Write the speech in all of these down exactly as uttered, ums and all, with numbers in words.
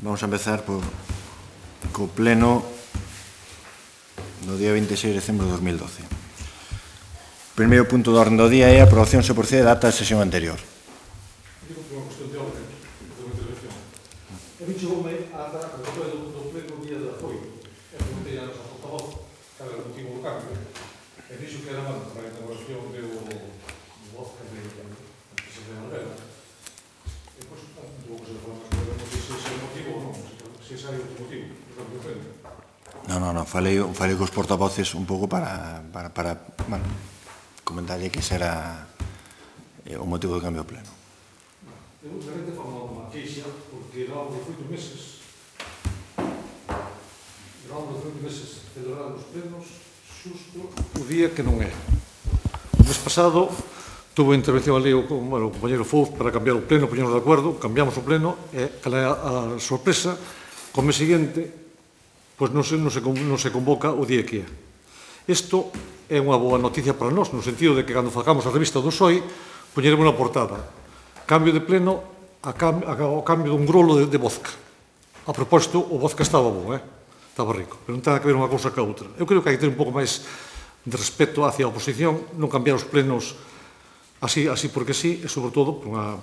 Vamos a empezar por, co pleno do día veintiséis de decembro de dos mil doce. O primeiro punto do orden do día é a aprobación se procede da ata da sesión anterior. Digo que é unha cuestión de orden, de unha intervención. E me chegoume a ata do pleno día de apoio. E preguntei a nosa portavoz cal era o motivo do cambio. E dixo que era mal para a inauguración do Vodka de Presidente de Alvela. E, pois, tuvo que ser para máis podemos se ese é o motivo ou non, se ese é outro motivo do cambio do pleno. Non, non, non, falei, falei cos portavoces un pouco para, para, para bueno, comentarlle que ese era eh, o motivo do cambio do pleno. Eu realmente falo unha queixa, porque era algo de oito meses, era algo de oito meses celebrar os plenos xusto o día que non é. O mes pasado tuve intervención ali con bueno, o compañero Fouz para cambiar o pleno, poñernos de acordo, cambiamos o pleno e cal é a sorpresa, co mes seguinte pois non se, non, se, non se convoca o día que é. Isto é unha boa noticia para nós, no sentido de que cando facamos a revista do P S O E poñeremos na portada cambio de pleno a cam, a, ao cambio dun grolo de, de vodka. A propósito, o vodka estaba bo, eh? Estaba rico, pero non ten que ver unha cousa ca outra. Eu creo que hai que ter un pouco máis de respeto hacia a oposición, non cambiar os plenos así, así porque sí, e sobre todo por unha,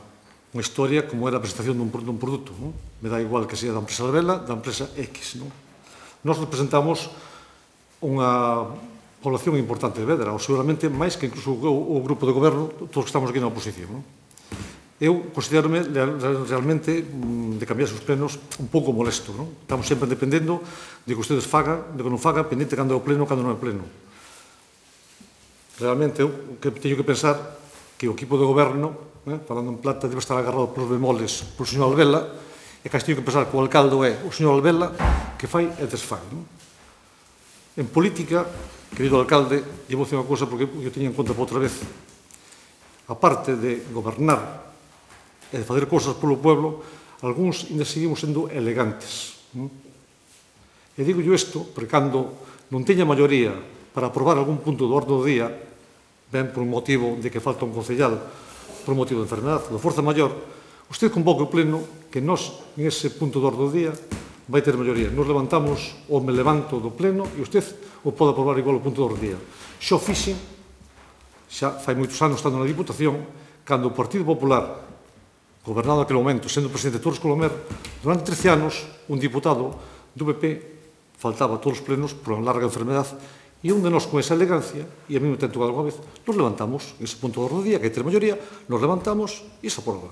unha historia como era a presentación dun, dun produto. Non? Me dá igual que sea da empresa Alvela, da empresa X. Non? Nos representamos unha población importante de Vedra, ou seguramente máis que incluso o, o grupo de goberno, todos que estamos aquí na oposición. Non? Eu considero-me realmente de cambiar os plenos un pouco molesto. Non? Estamos sempre dependendo de que ustedes fagan, de que non fagan, pendente cando é o pleno, cando non é o pleno. Realmente, eu que teño que pensar que o equipo de goberno, eh, falando en plata, debe estar agarrado polos bemoles polo señor Alvela, e que teño que pensar que o alcalde é o señor Alvela, que fai e desfai. Non? En política, querido alcalde, e vou dicir unha cousa porque eu teño en conta por outra vez, aparte de gobernar e de fazer cousas polo pueblo, algúns ainda seguimos sendo elegantes. Non? E digo yo isto porque cando non teña maioría para aprobar algún punto do orden do día, ben por un motivo de que falta un concellal, por un motivo de enfermedade, de forza maior, usted convoca o pleno que nós, en ese punto do orden do día, vai ter maioría. Nos levantamos ou me levanto do pleno e usted o pode aprobar igual o punto do orden do día. Xo fixen, xa fai moitos anos estando na Diputación, cando o Partido Popular, gobernado naquele momento, sendo presidente de Torres Colomer, durante trece anos, un diputado do P P faltaba a todos os plenos por unha larga enfermedade e un de nós con esa elegancia, e a mí me ten tocado alguna vez, nos levantamos, en ese punto do orden do día, que hai ter maioría, nos levantamos e se aproba.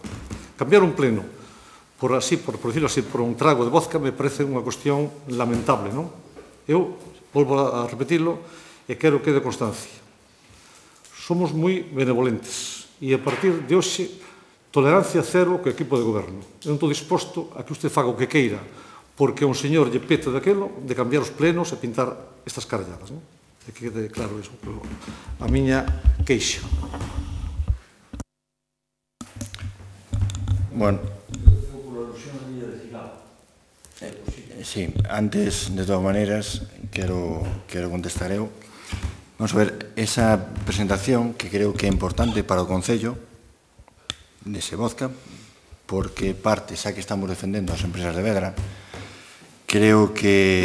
Cambiar un pleno por así, por, por decirlo así, por un trago de vodka me parece unha cuestión lamentable, non? Eu volvo a repetirlo e quero que quede constancia. Somos moi benevolentes e a partir de hoxe tolerancia cero co equipo de goberno. Eu non estou disposto a que usted faga o que queira porque un señor lle pete daquelo de cambiar os plenos e pintar estas caralladas. Non? E que quede claro iso. A miña queixa. Bueno. Sí, antes, de todas maneras, quero, quero contestar eu. Vamos a ver, esa presentación que creo que é importante para o Concello dese vodka, porque parte, xa que estamos defendendo as empresas de Vedra, creo que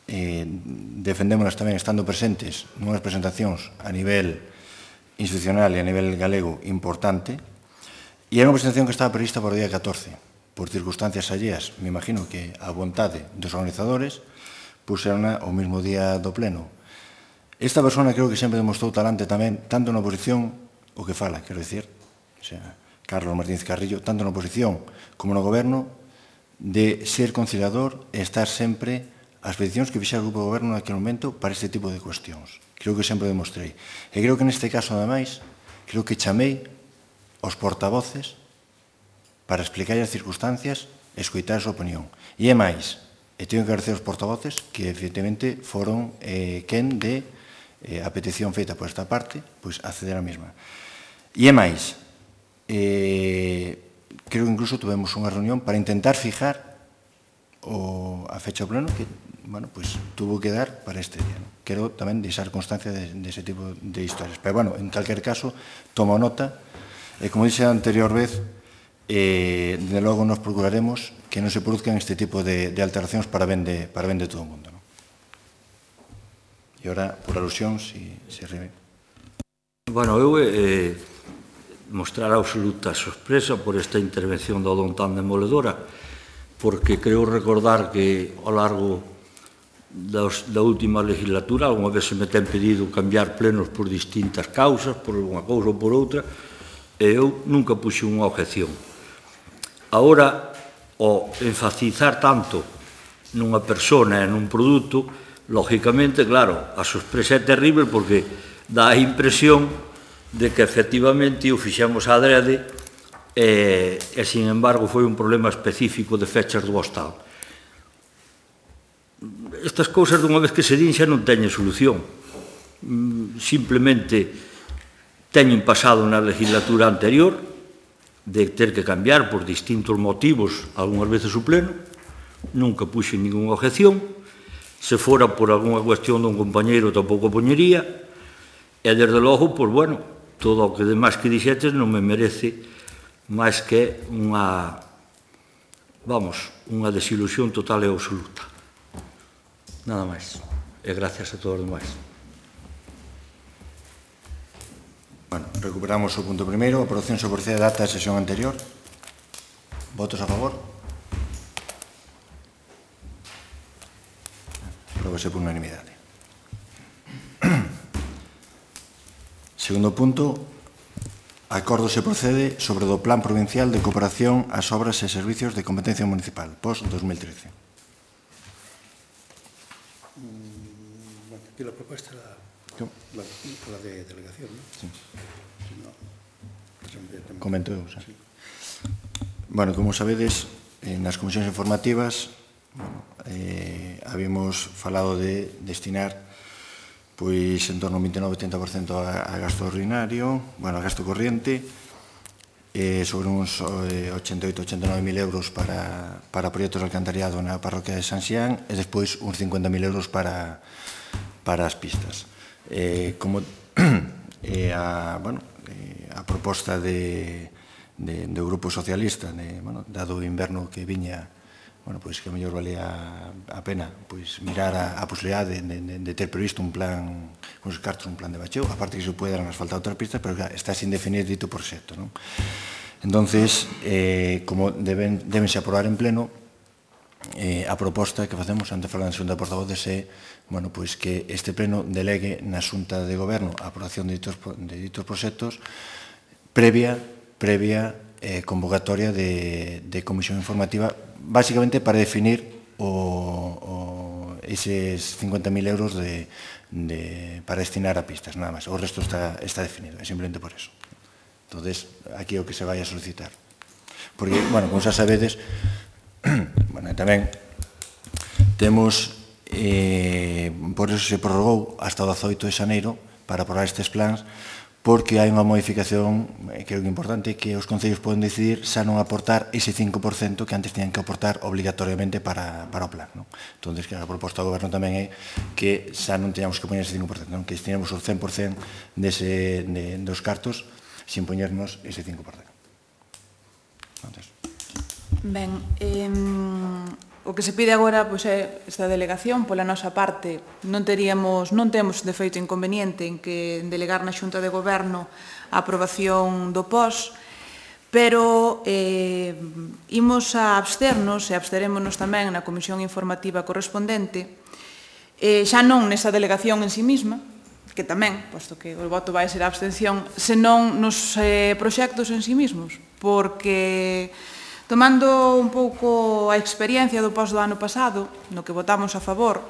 eh, defendémonos tamén estando presentes nunhas presentacións a nivel institucional e a nivel galego importante, e era unha presentación que estaba prevista para o día catorce, por circunstancias alleas, me imagino que a vontade dos organizadores puseron o mesmo día do pleno. Esta persona creo que sempre demostrou talante tamén, tanto na oposición, o que fala, quero dicir, o sea, Carlos Martínez Carrillo, tanto na oposición como no goberno, de ser conciliador e estar sempre as peticións que fixera o grupo de goberno naquele momento para este tipo de cuestións. Creo que sempre demostrei. E creo que neste caso, ademais, creo que chamei aos portavoces para explicar as circunstancias e escoitar a súa opinión. E é máis, e teño que agradecer aos portavoces que, efectivamente, foron eh, quen de eh, a petición feita por esta parte, pois acceder a mesma. E é máis, eh, creo que incluso tuvemos unha reunión para intentar fijar o, a fecha do pleno que, bueno, pues, tuvo que dar para este día. ¿No? Quero tamén deixar constancia de, de ese tipo de historias. Pero, bueno, en calquer caso, tomo nota, e como dixe a anterior vez, e, de logo, nos procuraremos que non se produzcan este tipo de, de alteracións para ben de, para ben de todo o mundo. Non? E ora, por alusión, si, si arriba. Bueno, eu eh, mostrar absoluta sorpresa por esta intervención do don tan demoledora, porque creo recordar que ao largo das, da última legislatura alguna vez se me ten pedido cambiar plenos por distintas causas, por unha cousa ou por outra, e eu nunca puxe unha objeción. Agora, ao enfatizar tanto nunha persona e nun produto, lógicamente, claro, a sorpresa é terrible porque dá a impresión de que efectivamente o fixemos a adrede e, e, sin embargo, foi un problema específico de fechas do hostal. Estas cousas, dunha vez que se din, xa non teñen solución. Simplemente teñen pasado na legislatura anterior de ter que cambiar por distintos motivos, algunhas veces o pleno, nunca puxe ninguna objeción. Se fora por algunha cuestión dun compañeiro tampouco poñería, e desde logo, pois, bueno, todo o que demais que dixetes non me merece máis que unha, vamos, unha desilusión total e absoluta. Nada máis. E gracias a todos os demais. Bueno, recuperamos o punto primeiro, aprobación sobre procede a data da sesión anterior. Votos a favor? Apróbase por unanimidade. Segundo punto, acordo se procede sobre o Plan Provincial de Cooperación ás Obras e Servicios de Competencia Municipal, pos dos mil trece. Aquí la propuesta era la, la de delegación, ¿no? Sí. No, comento eu, xa. Sí. Bueno, como sabedes, eh, nas comisións informativas bueno, eh, habíamos falado de destinar pois en torno ao vinte e nove a trinta por cento a, a gasto ordinario, bueno, a gasto corriente, eh, sobre uns eh, ochenta e oito a ochenta e nove mil euros para, para proxectos de alcantariado na parroquia de San Xián e despois uns cincuenta mil euros para, para as pistas. Eh, como eh, a, bueno, eh, a proposta de, de, do Grupo Socialista, de, bueno, dado o inverno que viña, bueno, pois que a mellor valía a pena pois mirar a, a posibilidade de, de, de ter previsto un plan con os cartos, un plan de bacheo, aparte que se puedan asfaltar outras pistas, pero que está sin definir dito proxecto, non? Entonces, eh, como deben, debense aprobar en pleno, eh, a proposta que facemos ante a Xunta de Portavoces é, bueno, pois que este pleno delegue na Xunta de Goberno a aprobación de ditos, de ditos proxectos previa, previa eh, convocatoria de, de comisión informativa, básicamente para definir o, o, eses cincuenta mil euros de, de, para destinar a pistas, nada máis. O resto está, está definido, é simplemente por eso. Entonces, aquí é o que se vai a solicitar. Porque, bueno, como xa sabedes, bueno, tamén temos, eh, por eso se prorrogou hasta o dezaoito de xaneiro para aprobar estes plans, porque hai unha modificación, creo que importante, que os concellos poden decidir xa non aportar ese cinco por cento que antes tenían que aportar obligatoriamente para, para o plan. Non? Entón, que a proposta do goberno tamén é que xa non teñamos que poñer ese cinco por cento, non? Que destinemos o cen por cento dese, de, dos cartos sin poñernos ese cinco por cento. Entonces. Ben, eh, o que se pide agora pois, é esta delegación. Pola nosa parte non teríamos, non temos de feito inconveniente en que delegar na Xunta de Goberno a aprobación do P O S, pero eh, imos a absternos e absterémonos tamén na comisión informativa correspondente, eh, xa non nesa delegación en sí mesma, que tamén, posto que o voto vai ser a abstención, senón nos eh, proxectos en sí mesmos, porque tomando un pouco a experiencia do P O S do ano pasado, no que votamos a favor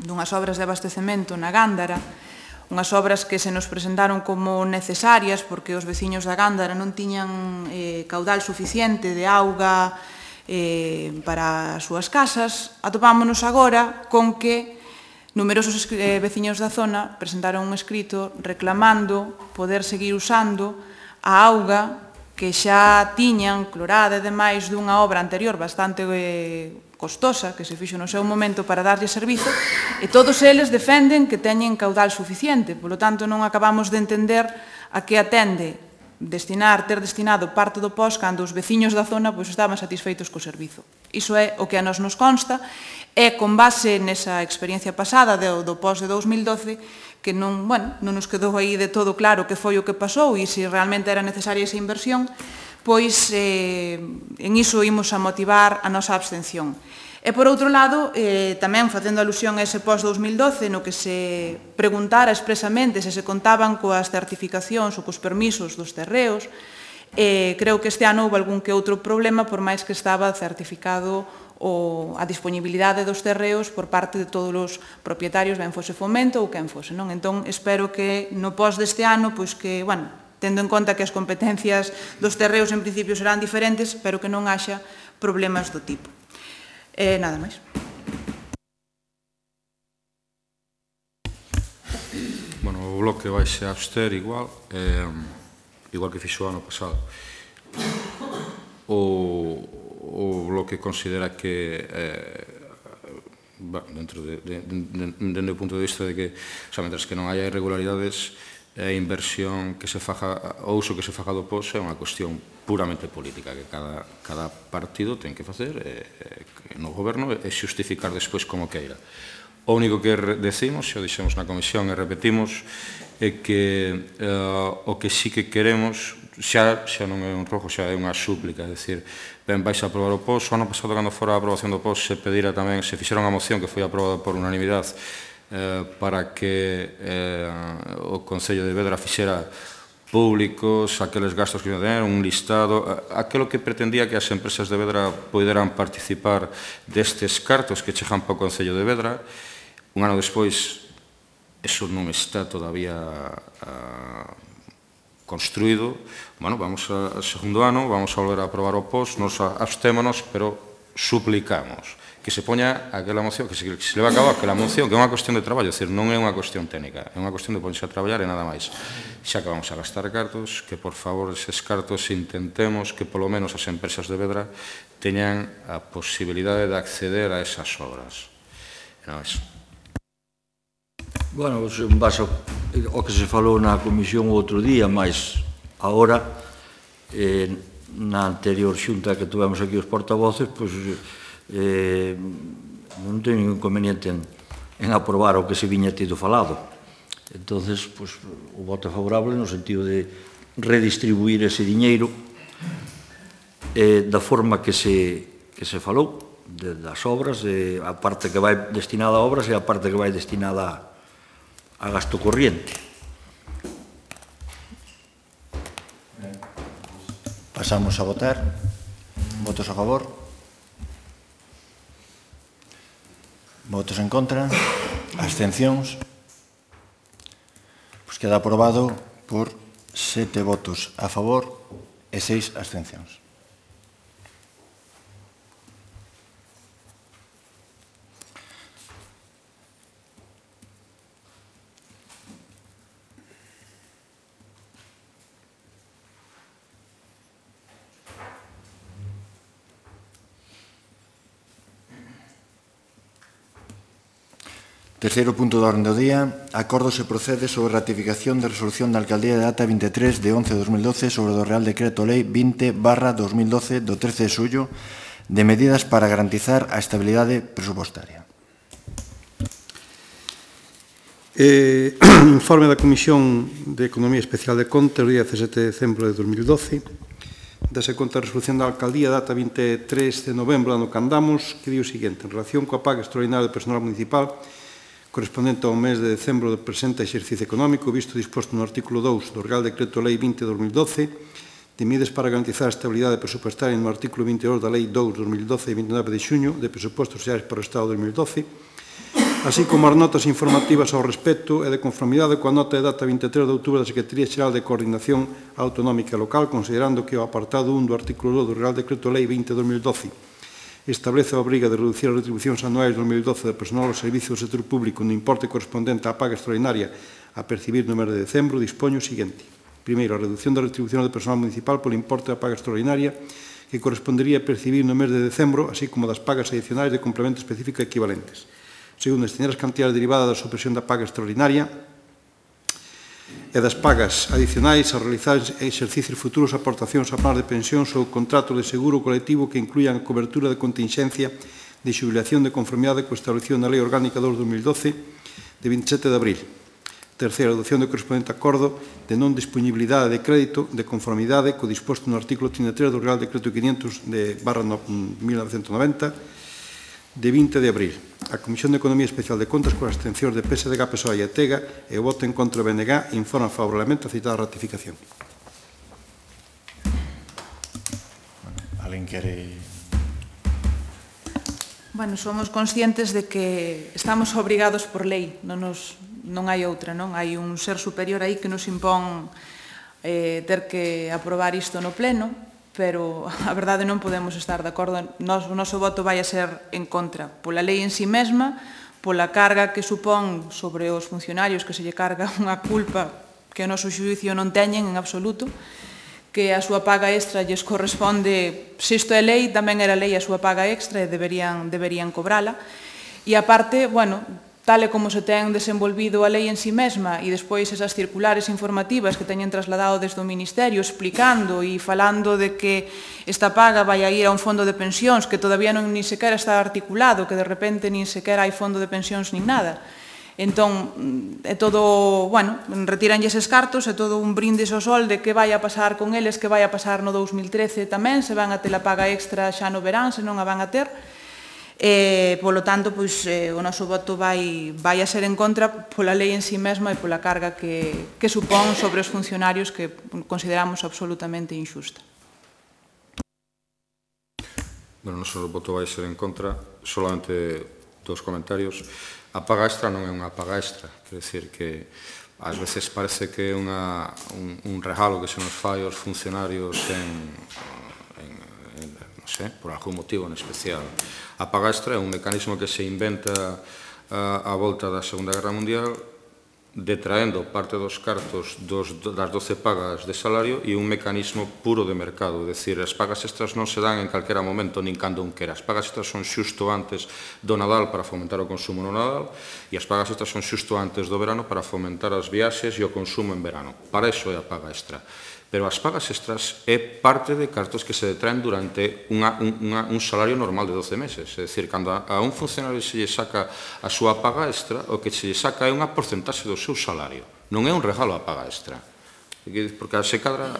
dunhas obras de abastecemento na Gándara, unhas obras que se nos presentaron como necesarias porque os veciños da Gándara non tiñan eh, caudal suficiente de auga eh, para as súas casas, atopámonos agora con que numerosos eh, veciños da zona presentaron un escrito reclamando poder seguir usando a auga que xa tiñan clorada e demais dunha obra anterior bastante eh, costosa que se fixo no seu momento para darlle servizo, e todos eles defenden que teñen caudal suficiente. Polo tanto, non acabamos de entender a que atende destinar, ter destinado parte do P O S cando os veciños da zona pois, estaban satisfeitos co servizo. Iso é o que a nos nos consta, e con base nesa experiencia pasada do, do P O S de dous mil doce, que non, bueno, non nos quedou aí de todo claro que foi o que pasou e se realmente era necesaria esa inversión, pois eh, en iso imos a motivar a nosa abstención. E, por outro lado, eh, tamén facendo alusión a ese P O S dous mil doce, no que se preguntara expresamente se se contaban coas certificacións ou cos permisos dos terreos, eh, creo que este ano houve algún que outro problema, por máis que estaba certificado o a disponibilidade dos terreos por parte de todos os propietarios, ben fose Fomento ou quen fose, non? Entón, espero que no P O S deste ano, pois que, bueno, tendo en conta que as competencias dos terreos en principio serán diferentes, pero que non haxa problemas do tipo. E nada máis. Bueno, o bloque vai se abster igual, eh, igual que fixo o ano pasado. O, o bloque considera que, eh, dentro de, de, de, de, de, do punto de vista de que, o sea, mentras que non haya irregularidades, a inversión que se faja, o uso que se faja do P O S é unha cuestión puramente política que cada, cada partido ten que facer eh, eh, no goberno e xustificar despois como queira. O único que decimos, xa o dixemos na comisión e repetimos, é que eh, o que sí que queremos xa, xa non é un rojo, xa é unha súplica, é dicir, ben, vais a aprobar o P O S. O ano pasado, cando fora a aprobación do P O S, se pedira tamén, se fixera unha moción que foi aprobada por unanimidade para que o Concello de Vedra fixera públicos aqueles gastos que iban a tener, un listado, aquilo que pretendía que as empresas de Vedra poderan participar destes cartos que chegan para o Concello de Vedra. Un ano despois, eso non está todavía construído. Bueno, vamos ao segundo ano, vamos a volver a aprobar o P O S, nos abstémonos, pero suplicamos que se poña aquela moción, que se, que se leva a cabo aquela moción, que é unha cuestión de traballo, é dicir, non é unha cuestión técnica, é unha cuestión de ponerse a traballar e nada máis. Xa que vamos a gastar cartos, que por favor eses cartos intentemos que polo menos as empresas de Vedra teñan a posibilidade de acceder a esas obras. E nada máis. Bueno, en base ao que se falou na comisión o outro día, mas agora, eh, na anterior xunta que tuvemos aquí os portavoces, pois, eh, non teño ningún inconveniente en, en aprobar o que se viña tido falado. Entonces, pois, o voto é favorable no sentido de redistribuir ese diñeiro eh, da forma que se, que se falou, de, das obras, de, a parte que vai destinada a obras e a parte que vai destinada a, a gasto corriente. Pasamos a votar. Votos a favor. Votos en contra. Abstencións. Pois queda aprobado por sete votos a favor e seis abstencións. Terceiro punto da orde do día. Acordo se procede sobre a ratificación da resolución da Alcaldía de data vinte e tres de once de dos mil doce sobre o Real Decreto Lei vinte barra dos mil doce do trece de xullo de medidas para garantizar a estabilidade presupostaria. Eh, informe da Comisión de Economía Especial de Contas, día dezasete de decembro de dos mil doce. Dase conta a resolución da Alcaldía, data vinte e tres de novembro, ano que andamos, que di o seguinte: en relación coa paga extraordinaria do personal municipal correspondente ao mes de decembro do presente exercicio económico, visto disposto no artículo dous do Real Decreto Lei vinte barra dos mil doce, de medidas para garantizar a estabilidade presupuestaria no artículo vinte e dous da Lei dous barra dos mil doce de vinte e nove de xuño de presupostos xerais para o Estado de dos mil doce, así como as notas informativas ao respecto e de conformidade coa nota de data vinte e tres de outubro da Secretaría Xeral de Coordinación Autonómica Local, considerando que o apartado un do artículo dous do Real Decreto Lei vinte barra dos mil doce establece a obriga de reducir as retribucións anuais de dos mil doce do personal ao servicio do sector público no importe correspondente á paga extraordinaria a percibir no mes de decembro, dispoño o seguinte. Primeiro, a reducción da retribución do personal municipal polo importe da paga extraordinaria que correspondería a percibir no mes de decembro, así como das pagas adicionais de complemento específico equivalentes. Segundo, destinar as cantidades derivadas da supresión da paga extraordinaria e das pagas adicionais a realizar exercicios futuros aportacións a plans de pensións ou contrato de seguro colectivo que incluían a cobertura de contingencia de xubilación de conformidade co establecido na Lei Orgánica dos dos mil doce de vinte e sete de abril. Terceiro, a adopción do correspondente acordo de non disponibilidade de crédito de conformidade co disposto no artículo trinta e tres do Real Decreto quinientos de barra mil novecentos noventa de vinte de abril. A Comisión de Economía Especial de Contas, con as abstencións de P S D G, P S O E e Tega, e o voto en contra do B N G, informa favorablemente a citada ratificación. Alguén quere... Bueno, somos conscientes de que estamos obrigados por lei, non, nos, non hai outra, non? Hai un ser superior aí que nos impón eh, ter que aprobar isto no pleno, pero a verdade non podemos estar de acordo. Nos, o noso voto vai a ser en contra, pola lei en si mesma, pola carga que supón sobre os funcionarios, que se lle carga unha culpa que o noso xuízo non teñen en absoluto, que a súa paga extra lles corresponde, se isto é lei, tamén era lei a súa paga extra e deberían, deberían cobrala. E aparte, bueno, tal e como se ten desenvolvido a lei en si mesma e despois esas circulares informativas que teñen trasladado desde o Ministerio explicando e falando de que esta paga vai a ir a un fondo de pensións que todavía non ni sequera está articulado, que de repente nin sequera hai fondo de pensións nin nada. Entón, é todo, bueno, retiranlle eses cartos, é todo un brindis ao sol de que vai a pasar con eles, que vai a pasar no dous mil trece tamén, se van a ter a paga extra xa no verán, se non a van a ter. E, polo tanto, pois, eh, o noso voto vai, vai a ser en contra pola lei en si mesma e pola carga que, que supón sobre os funcionarios que consideramos absolutamente injusta. Bueno, o noso voto vai ser en contra, solamente dos comentarios. A paga extra non é unha paga extra, quer dizer que ás veces parece que é unha, un, un regalo que se nos fai aos funcionarios en, en, en, non sei, por algún motivo en especial. A paga extra é un mecanismo que se inventa a, a volta da Segunda Guerra Mundial, detraendo parte dos cartos dos, das doce pagas de salario e un mecanismo puro de mercado, é dicir, as pagas extras non se dan en calquera momento nin cando un quera. As pagas extras son xusto antes do Nadal para fomentar o consumo no Nadal e as pagas extras son xusto antes do verano para fomentar as viaxes e o consumo en verano. Para iso é a paga extra. Pero as pagas extras é parte de cartos que se detraen durante unha, unha, un salario normal de doce meses. É dicir, cando a, a un funcionario se lle saca a súa paga extra, o que se lle saca é unha porcentaxe do seu salario. Non é un regalo a paga extra. Porque se cadra,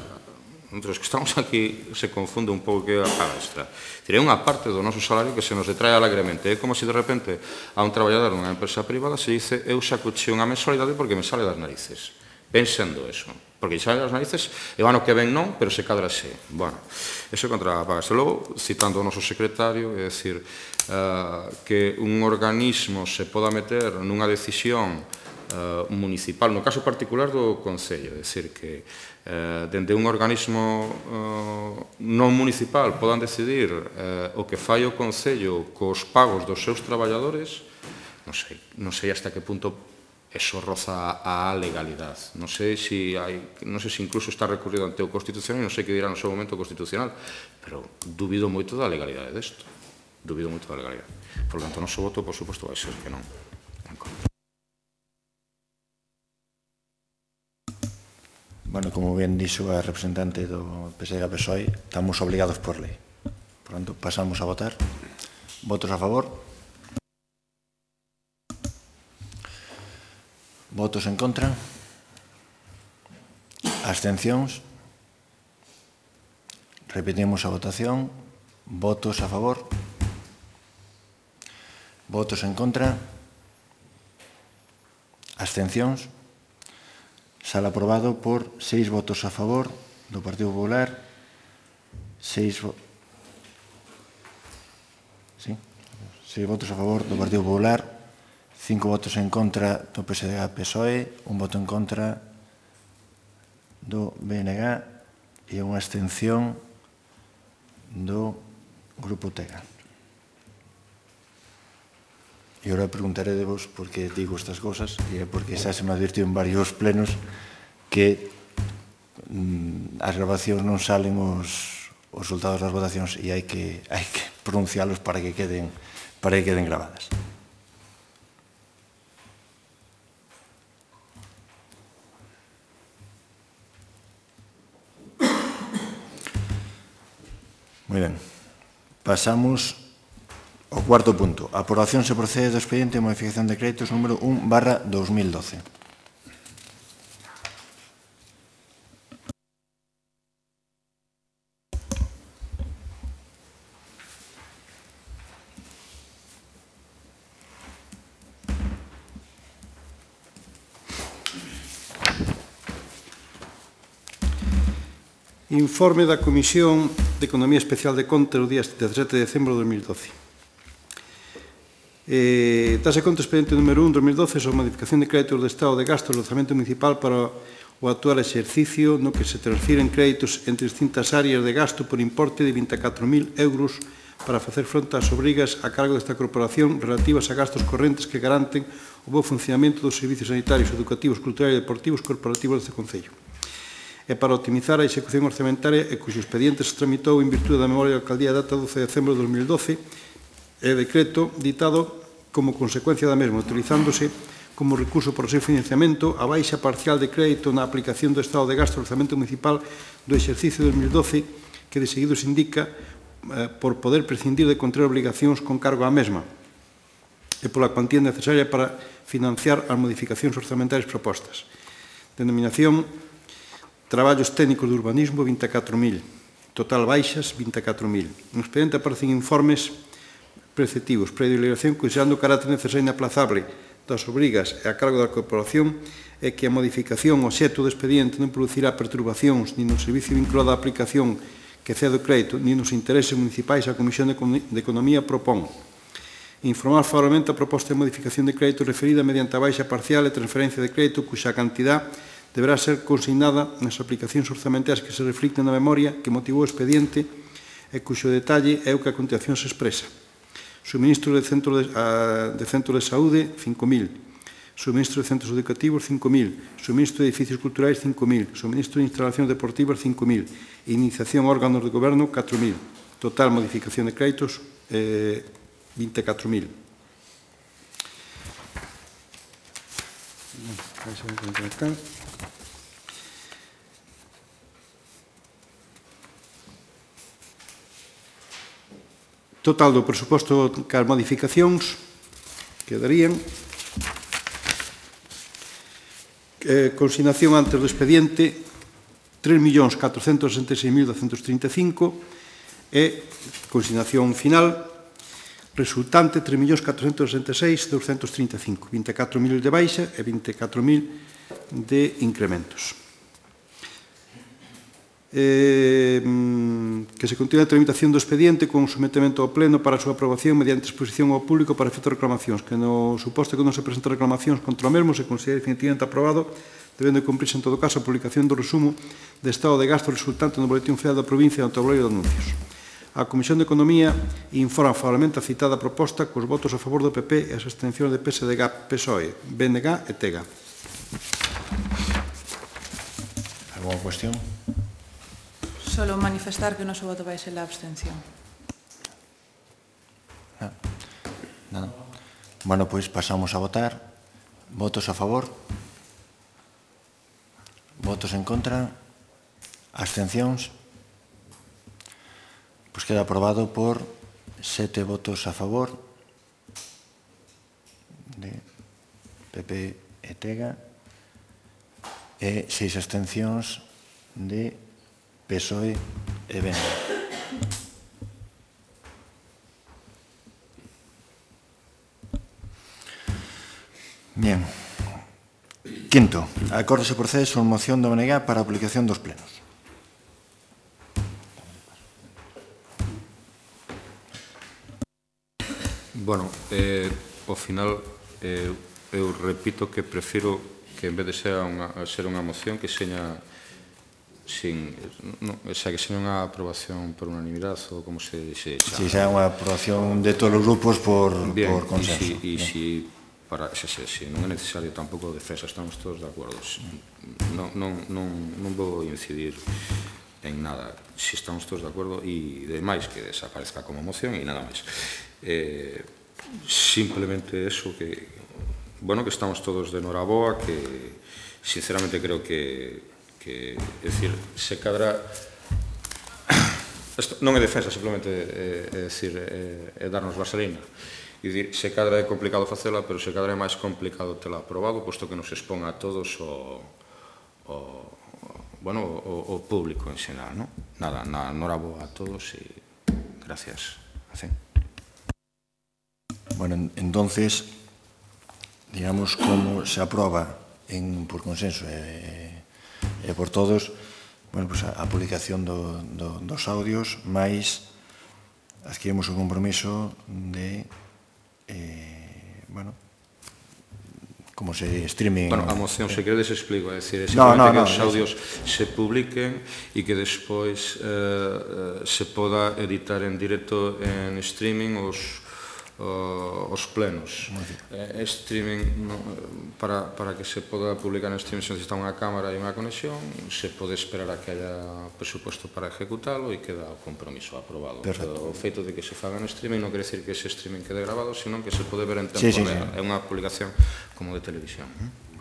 entre os que estamos aquí, se confunde un pouco que é a paga extra. É unha parte do noso salario que se nos detrae alegremente. É como se de repente a un traballador nunha empresa privada se dice eu sacuche unha mensualidade porque me sale das narices. Pensando eso. Porque xa as narices, e o ano que ven non, pero se cadra xe. Bueno, eso é contra a paga extra. Logo, citando o noso secretario, é dicir, uh, que un organismo se poda meter nunha decisión uh, municipal, no caso particular do Concello, é dicir, que uh, dende un organismo uh, non municipal podan decidir uh, o que fai o Concello cos pagos dos seus traballadores, non sei, non sei hasta que punto eso roza a legalidade. Non sei se hai, non sei se incluso está recurrido ante o Constitucional, non sei que dirá no seu momento o Constitucional, pero dubido moito da legalidade desto. Dubido moito da legalidade. Por lo tanto, o noso voto, por suposto, vai ser que non. Bueno, como ben dixo a representante do P S D G P S O E, estamos obligados por lei. Por tanto, pasamos a votar. Votos a favor. Votos en contra. Abstencións. Repetimos a votación. Votos a favor. Votos en contra. Abstencións. Sale aprobado por seis votos a favor do Partido Popular, seis, vo sí, seis votos a favor do Partido Popular, cinco votos en contra do P S D G P S O E, un voto en contra do B N G e unha abstención do Grupo Tega. E agora preguntaré de vos por que digo estas cosas, e é porque xa se me advirtió en varios plenos que mm, as grabacións non salen os, os resultados das votacións e hai que, hai que pronuncialos para que queden, para que queden grabadas. Moi ben. Pasamos ao cuarto punto. A aprobación se procede do expediente de modificación de créditos número un barra dos mil doce. Informe da Comisión de Economía Especial de Contas o día dezasete de decembro de dos mil doce. Eh, Dase conta expediente número un de dos mil doce sobre a modificación de créditos de Estado de gasto do orzamento municipal para o actual exercicio no que se transfiren créditos entre distintas áreas de gasto por importe de vinte e catro mil euros para facer fronte ás obrigas a cargo desta corporación relativas a gastos correntes que garanten o bo funcionamento dos servicios sanitarios, educativos, culturais e deportivos corporativos deste Concello. E para optimizar a execución orzamentaria e cuxo expediente se tramitou en virtude da memoria da Alcaldía data doce de decembro de dos mil doce e decreto ditado como consecuencia da mesma, utilizándose como recurso para o seu financiamento a baixa parcial de crédito na aplicación do estado de gasto do orzamento municipal do exercicio de dos mil doce que de seguido se indica eh, por poder prescindir de contraer obligacións con cargo á mesma e pola cuantía necesaria para financiar as modificacións orzamentarias propostas. Denominación Traballos técnicos de urbanismo, vinte e catro mil. Total baixas, vinte e catro mil. No expediente aparecen informes preceptivos, predelegación considerando o carácter necesario e inaplazable das obrigas e a cargo da corporación e que a modificación ao xeto do expediente non producirá perturbacións ni no servicio vinculado á aplicación que cede o crédito ni nos intereses municipais a Comisión de Economía propón. Informar favorablemente a proposta de modificación de crédito referida mediante a baixa parcial e transferencia de crédito cuxa cantidad deberá ser consignada nas aplicacións orzamentarias que se reflicten na memoria que motivou o expediente e cuxo detalle é o que a continuación se expresa. Suministro de centros de, a, de, centro de saúde, cinco mil. Suministro de centros educativos, cinco mil. Suministro de edificios culturais, cinco mil. Suministro de instalacións deportivas, cinco mil. Iniciación órganos de goberno, catro mil. Total modificación de créditos, eh, vinte e catro mil. Total do presuposto que as modificacións quedarían eh, consignación antes do expediente tres millóns catrocentos sesenta e seis mil douscentos trinta e cinco e consignación final resultante tres millóns catrocentos sesenta e seis mil douscentos trinta e cinco, vinte e catro mil de baixa e vinte e catro mil de incrementos. Eh, que se continúe a tramitación do expediente con sometemento ao pleno para a súa aprobación mediante exposición ao público para efectos de reclamacións, que no suposto que non se presenten reclamacións contra o mesmo se considere definitivamente aprobado, debendo cumprirse en todo caso a publicación do resumo de estado de gasto resultante no Boletín Oficial da provincia e no tabuleiro de anuncios. A Comisión de Economía informa favorablemente a citada proposta cos votos a favor do P P e as abstencións de P S D G, P S O E, B N G e T G. Alguna cuestión? Solo manifestar que o noso voto vai ser a abstención. Ah, nada. Bueno, pois pasamos a votar. Votos a favor? Votos en contra? Abstencións? Pois queda aprobado por sete votos a favor de P P e T G e seis abstencións de P S O E e B N G. Bien. Quinto, acordo se procede sobre moción do B N G para a aplicación dos plenos. Bueno, eh, ao final, eh, eu repito que prefiro que en vez de ser unha, ser unha moción que seña sin, no, o sea, que seña unha aprobación por unanimidade ou como se, se chama. Si, xa é unha aprobación de todos os grupos por, bien, por consenso. E si, para, se, se, se non é necesario tampouco defensa, estamos todos de acordo. Non, non, non, non vou incidir en nada, si estamos todos de acordo e demais que desaparezca como moción e nada máis. Eh, simplemente eso que, bueno, que estamos todos de noraboa, que sinceramente creo que, que é dicir, se cadra non é defensa, simplemente é dicir, é darnos vaselina. E dicir, se cadra é complicado facela, pero se cadra é máis complicado tela aprobado, posto que nos expón a todos o, o, bueno, o, o público en xeral, non? Nada, enhorabuena a todos e gracias. Así. Bueno, entonces, digamos, como se aproba en, por consenso e, e por todos, bueno, pues a, a publicación do, do, dos audios, máis adquirimos o compromiso de, eh, bueno, como se streaming... Bueno, a moción, se queredes, explico, é dicir, é no, simplemente no, no, que os audios se publiquen e que despois eh, se poda editar en directo en streaming os os plenos. Eh, streaming, no, para, para que se poda publicar en streaming se necesita unha cámara e unha conexión, se pode esperar a que haya presupuesto para ejecutalo e queda o compromiso aprobado. Perfecto. O feito de que se faga en streaming non quere decir que ese streaming quede grabado, sino que se pode ver en tempo sí, sí, real. sí. É unha publicación como de televisión.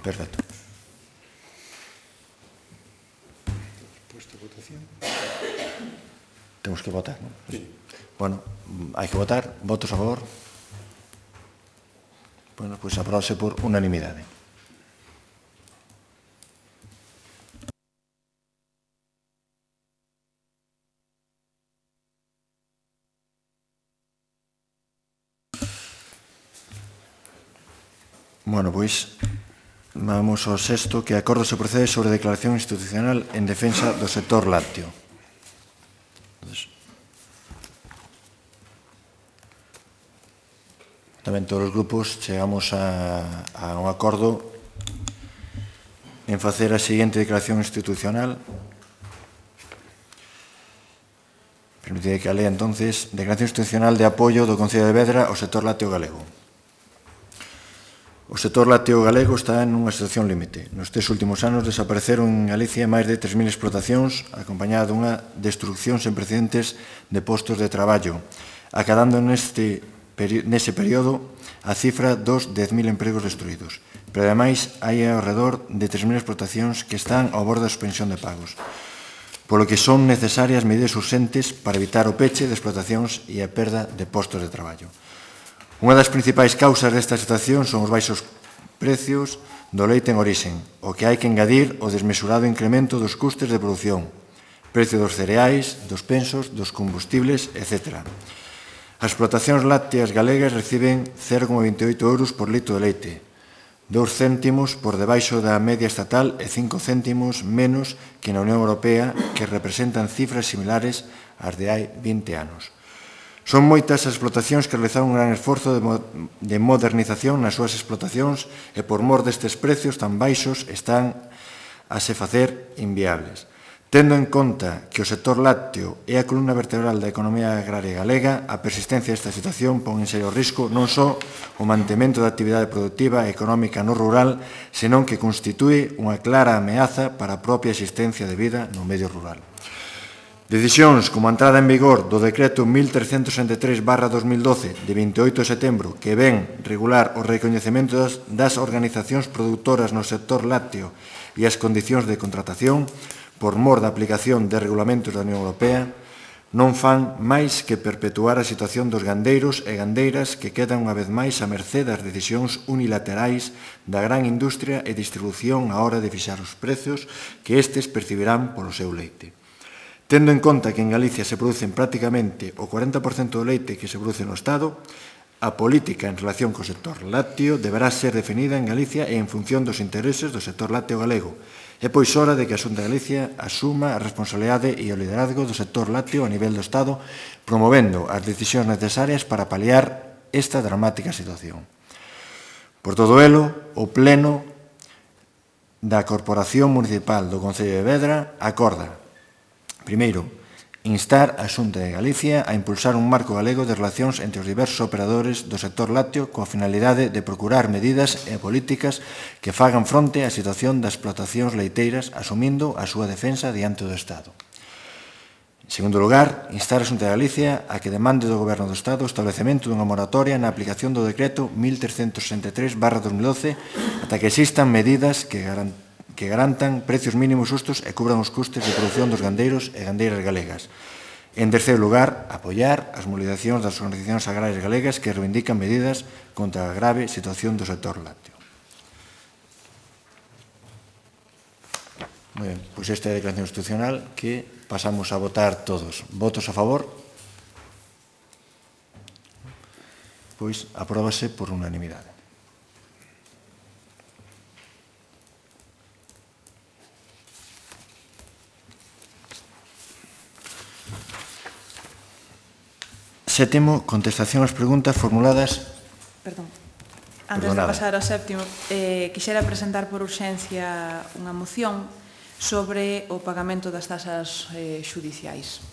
Perfecto. Temos que votar, non? Sí. Bueno, hai que votar. Votos a favor? Bueno, pois pues aprobase por unanimidade. Bueno, pois vamos ao sexto, que acordo se procede sobre a declaración institucional en defensa do sector lácteo. Entonces, tamén todos os grupos chegamos a, a un acordo en facer a seguinte declaración institucional. Permitide que a lea, entonces, declaración institucional de apoio do Concello de Vedra ao sector lácteo galego. O sector lácteo galego está en unha situación límite. Nos tres últimos anos desapareceron en Galicia máis de tres mil explotacións, acompañada dunha destrucción sen precedentes de postos de traballo, acadando neste nese período a cifra dos dez mil empregos destruídos. Pero, ademais, hai ao redor de tres mil explotacións que están ao borde da suspensión de pagos, polo que son necesarias medidas urxentes para evitar o peche de explotacións e a perda de postos de traballo. Unha das principais causas desta situación son os baixos precios do leite en orixen, o que hai que engadir o desmesurado incremento dos custes de produción, precio dos cereais, dos pensos, dos combustibles, etcétera. As explotacións lácteas galegas reciben cero coma vinte e oito euros por litro de leite, dous céntimos por debaixo da media estatal e cinco céntimos menos que na Unión Europea, que representan cifras similares ás de hai vinte anos. Son moitas as explotacións que realizaron un gran esforzo de modernización nas súas explotacións e por mor destes precios tan baixos están a se facer inviables. Tendo en conta que o sector lácteo é a columna vertebral da economía agraria galega, a persistencia desta situación pon en serio risco non só o mantemento da actividade productiva e económica no rural, senón que constitúe unha clara ameaza para a propia existencia de vida no medio rural. Decisións como a entrada en vigor do decreto mil trescentos sesenta e tres barra dos mil doce de vinte e oito de setembro que ven regular o recoñecemento das, das organizacións produtoras no sector lácteo e as condicións de contratación por mor da aplicación de regulamentos da Unión Europea non fan máis que perpetuar a situación dos gandeiros e gandeiras que quedan unha vez máis a mercé das decisións unilaterais da gran industria e distribución á hora de fixar os prezos que estes percibirán polo seu leite. Tendo en conta que en Galicia se producen prácticamente o cuarenta por cento do leite que se produce no Estado, a política en relación co sector lácteo deberá ser definida en Galicia e en función dos intereses do sector lácteo galego. É pois hora de que a Xunta de Galicia asuma a responsabilidade e o liderazgo do sector lácteo a nivel do Estado, promovendo as decisións necesarias para paliar esta dramática situación. Por todo elo, o Pleno da Corporación Municipal do Concello de Vedra acorda, primeiro, instar a Xunta de Galicia a impulsar un marco galego de relacións entre os diversos operadores do sector lácteo coa finalidade de procurar medidas e políticas que fagan fronte á situación das explotacións leiteiras asumindo a súa defensa diante do Estado. En segundo lugar, instar a Xunta de Galicia a que demande do Goberno do Estado o establecemento dunha moratoria na aplicación do decreto mil trescentos sesenta e tres barra dos mil doce ata que existan medidas que garantan que garantan precios mínimos justos e cubran os custes de produción dos gandeiros e gandeiras galegas. En terceiro lugar, apoiar as movilizacións das organizacións agrarias galegas que reivindican medidas contra a grave situación do sector lácteo. Moi ben, pois esta é a declaración institucional que pasamos a votar todos. Votos a favor? Pois apróbase por unanimidade. Sétimo, contestación ás preguntas formuladas. Perdón. Antes Perdonada. de pasar ao séptimo, eh, quixera presentar por urxencia unha moción sobre o pagamento das tasas eh, xudiciais.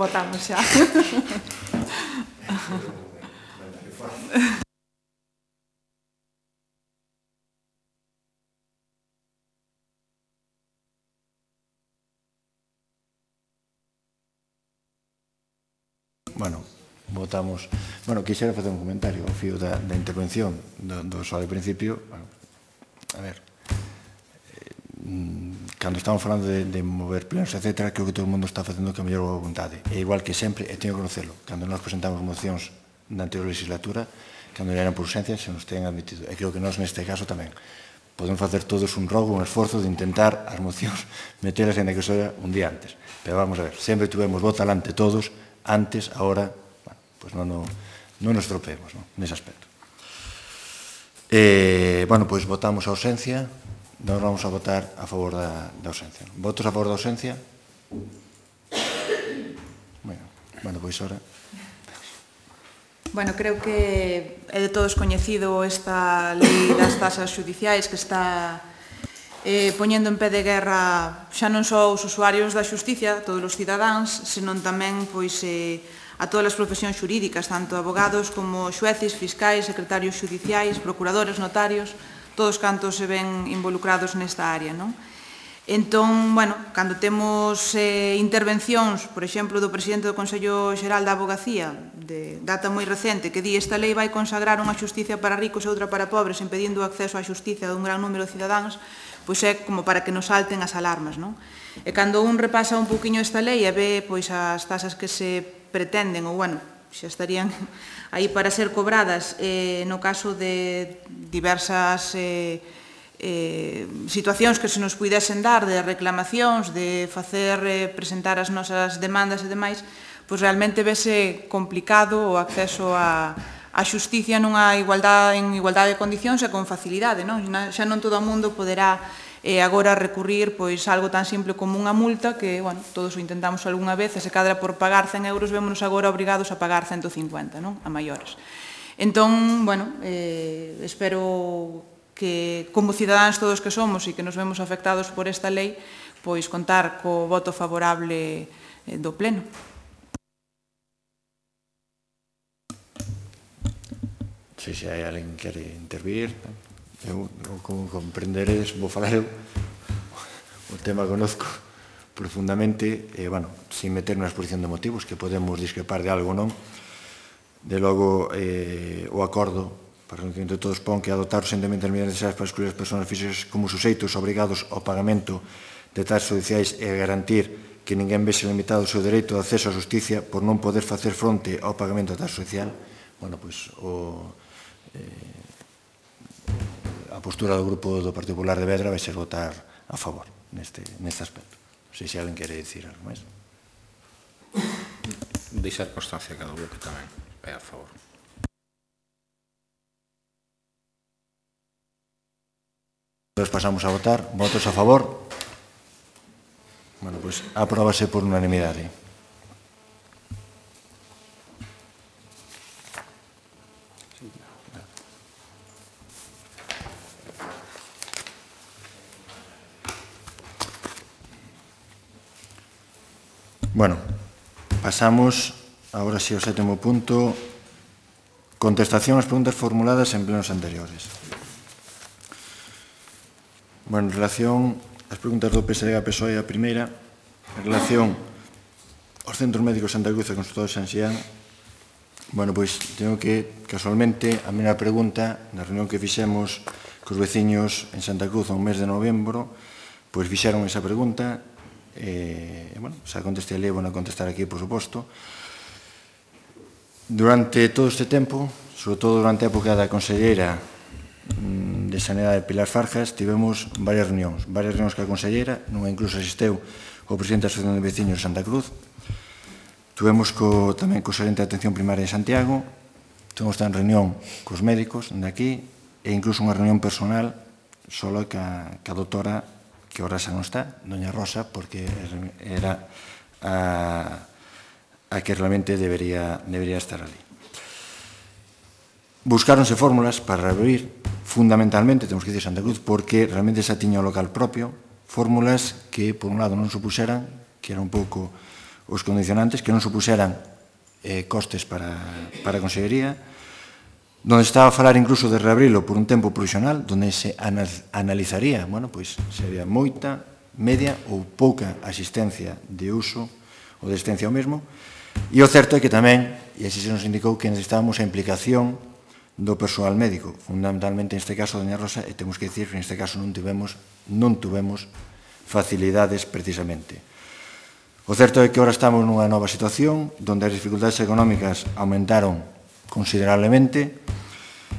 Votamos xa. Bueno, votamos. Bueno, quixera facer un comentario ao fío da, da intervención do, do só de principio. Bueno, a ver, eh, cando estamos falando de, de mover plenos, etcétera, creo que todo o mundo está facendo que a mellor vontade. E igual que sempre, e teño que conocelo, cando nós presentamos mocións da anterior legislatura, cando eran por urxencia, se nos ten admitido. E creo que nós, neste caso, tamén. Podemos facer todos un rogo, un esforzo de intentar as mocións metelas en a que sea un día antes. Pero vamos a ver, sempre tuvemos voz alante todos, antes, ahora, bueno, pues non, non, non nos tropeemos, non, nese aspecto. Eh, bueno, pois pues votamos a ausencia. Nós vamos a votar a favor da, da ausencia. Votos a favor da ausencia? Bueno, bueno, pois ora. Bueno, creo que é de todos coñecido esta lei das tasas xudiciais que está eh, poñendo en pé de guerra xa non só os usuarios da xusticia, todos os cidadáns, senón tamén pois, eh, a todas as profesións xurídicas, tanto abogados como xueces, fiscais, secretarios xudiciais, procuradores, notarios, todos cantos se ven involucrados nesta área, non? Entón, bueno, cando temos eh, intervencións, por exemplo, do presidente do Consello Xeral da Abogacía, de data moi recente, que di esta lei vai consagrar unha xusticia para ricos e outra para pobres, impedindo o acceso á xusticia dun gran número de cidadáns, pois é como para que nos salten as alarmas, non? E cando un repasa un pouquiño esta lei e ve pois as tasas que se pretenden, ou, bueno, xa estarían aí para ser cobradas, eh, no caso de diversas eh, eh, situacións que se nos puidesen dar, de reclamacións, de facer eh, presentar as nosas demandas e demais, pois realmente vese complicado o acceso a, a xusticia nunha igualdade, en igualdade de condicións e con facilidade, non? Xa non todo o mundo poderá e agora recurrir pois algo tan simple como unha multa que, bueno, todos o intentamos algunha vez e se cadra por pagar cen euros vémonos agora obrigados a pagar ciento cincuenta, non? A maiores. Entón, bueno, eh, espero que como cidadáns todos que somos e que nos vemos afectados por esta lei, pois contar co voto favorable do Pleno. Se si hai alguén que quere intervir, eu, como comprenderedes, vou falar eu. O tema conozco profundamente, e, bueno, sin meter na exposición de motivos, que podemos discrepar de algo ou non. De logo, eh, o acordo, para que entre todos pon que adoptar urxentemente as medidas necesarias para excluir as persoas físicas como suxeitos obrigados ao pagamento de tasas judiciais e garantir que ninguén vese limitado o seu dereito de acceso á justicia por non poder facer fronte ao pagamento da tasa judicial. Bueno, pois, o... Eh, a postura do Grupo do Partido Popular de Vedra vai ser votar a favor neste, neste aspecto. Non sei se alguén quere dicir algo máis. Deixar constancia que do bloque tamén é a favor. Entón pasamos a votar. Votos a favor? Bueno, pois, apróbase por unanimidade. Bueno, pasamos agora sí ao sétimo punto, contestación ás preguntas formuladas en plenos anteriores. Bueno, en relación ás preguntas do P S D G P S O E, a primeira, en relación aos centros médicos Santa Cruz e Consultor de San Xián, bueno, pois, teño que, casualmente, a primeira pregunta, na reunión que fixemos cos veciños en Santa Cruz ao mes de novembro, pois fixeron esa pregunta, e, bueno, xa contestei ali, bueno, a contestar aquí, por suposto. Durante todo este tempo, sobre todo durante a época da conselleira de Sanidade Pilar Farjas, tivemos varias reunións, varias reunións que a conselleira, nunha incluso asisteu o presidente da Asociación de Veciños de Santa Cruz, tivemos co, tamén co xerente de Atención Primaria de Santiago, tivemos tamén reunión cos médicos de aquí, e incluso unha reunión personal solo ca, ca doutora, que ahora xa non está, doña Rosa, porque era a, a que realmente debería, debería estar ali. Buscáronse fórmulas para reabrir, fundamentalmente, temos que dicir Santa Cruz, porque realmente xa tiña o local propio, fórmulas que, por un lado, non supuseran, que era un pouco os condicionantes, que non supuseran eh, costes para, para a Consellería, donde estaba a falar incluso de reabrilo por un tempo provisional, donde se analizaría, bueno, pois, se había moita, media ou pouca asistencia de uso ou de asistencia ao mesmo, e o certo é que tamén, e así se nos indicou, que necesitábamos a implicación do persoal médico, fundamentalmente neste caso doña Rosa, e temos que dicir que neste caso non tivemos, non tuvemos facilidades precisamente. O certo é que agora estamos nunha nova situación, donde as dificultades económicas aumentaron considerablemente,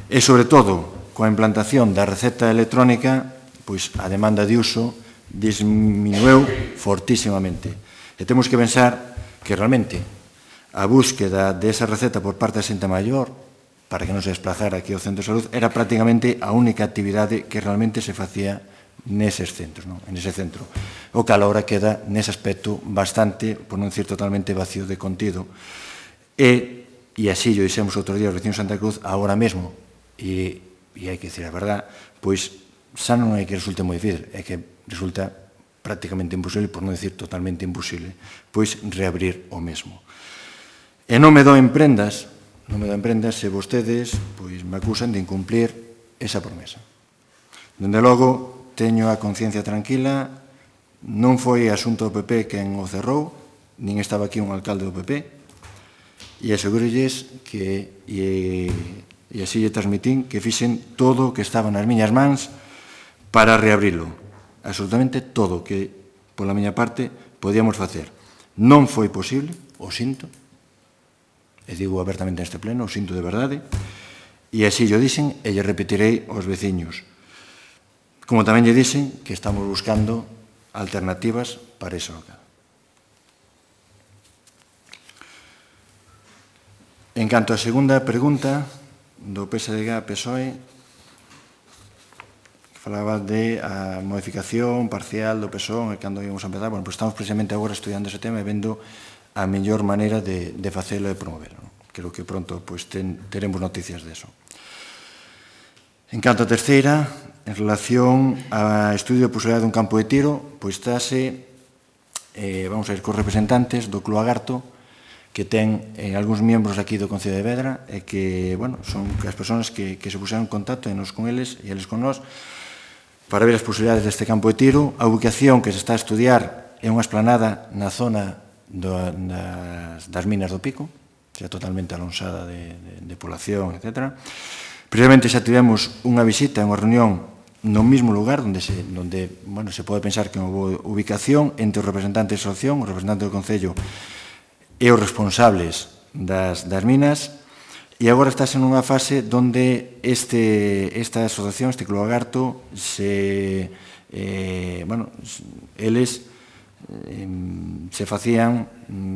e, sobre todo, coa implantación da receta electrónica, pois a demanda de uso disminueu fortísimamente. E temos que pensar que realmente a búsqueda desa receta por parte da xente maior, para que non se desplazara aquí ao centro de salud, era prácticamente a única actividade que realmente se facía neses centros, non? En ese centro. O cal agora queda, nese aspecto, bastante, por non dicir totalmente, vacío de contido. E, e así, yo dixemos outro día aos vecinos de Santa Cruz, agora mesmo, e, e hai que dicir a verdad, pois xa non é que resulte moi difícil, é que resulta prácticamente imposible, por non dicir totalmente imposible, pois reabrir o mesmo. E non me doen prendas, non me doen prendas se vostedes pois me acusan de incumplir esa promesa. Dende logo, teño a conciencia tranquila, non foi asunto do P P quen o cerrou, nin estaba aquí un alcalde do P P, e asegurolles que, e, e así lle transmitín, que fixen todo o que estaba nas miñas mans para reabrilo. Absolutamente todo o que, pola miña parte, podíamos facer. Non foi posible, o sinto, e digo abertamente neste pleno, o sinto de verdade, e así lle dixen e lle repetirei aos veciños. Como tamén lle dixen que estamos buscando alternativas para ese local. En canto á segunda pregunta do P S D G P S O E, que falaba de a modificación parcial do P S O E, cando íamos a empezar, bueno, pues estamos precisamente agora estudiando ese tema e vendo a mellor maneira de, de facelo e promoverlo. Creo que pronto pues, ten, teremos noticias de eso. En canto a terceira, en relación a estudio de posibilidade dun campo de tiro, pois estáse, eh, vamos a ir cos representantes do Club Agarto, que ten eh, algúns membros aquí do Concello de Vedra, e que, bueno, son as persoas que, que se puseron en contacto, e nos con eles, e eles con nós, para ver as posibilidades deste campo de tiro. A ubicación que se está a estudiar é unha esplanada na zona do, das, das minas do Pico, xa totalmente alonsada de, de, de población, etcétera. Precisamente xa tivemos unha visita, unha reunión no mismo lugar, onde, se, onde bueno, se pode pensar que é unha boa ubicación entre os representantes da asociación, os representantes do Concello e os responsables das, das minas, e agora estás en unha fase onde este, esta asociación, este Club Agarto, se, eh, bueno, eles eh, se facían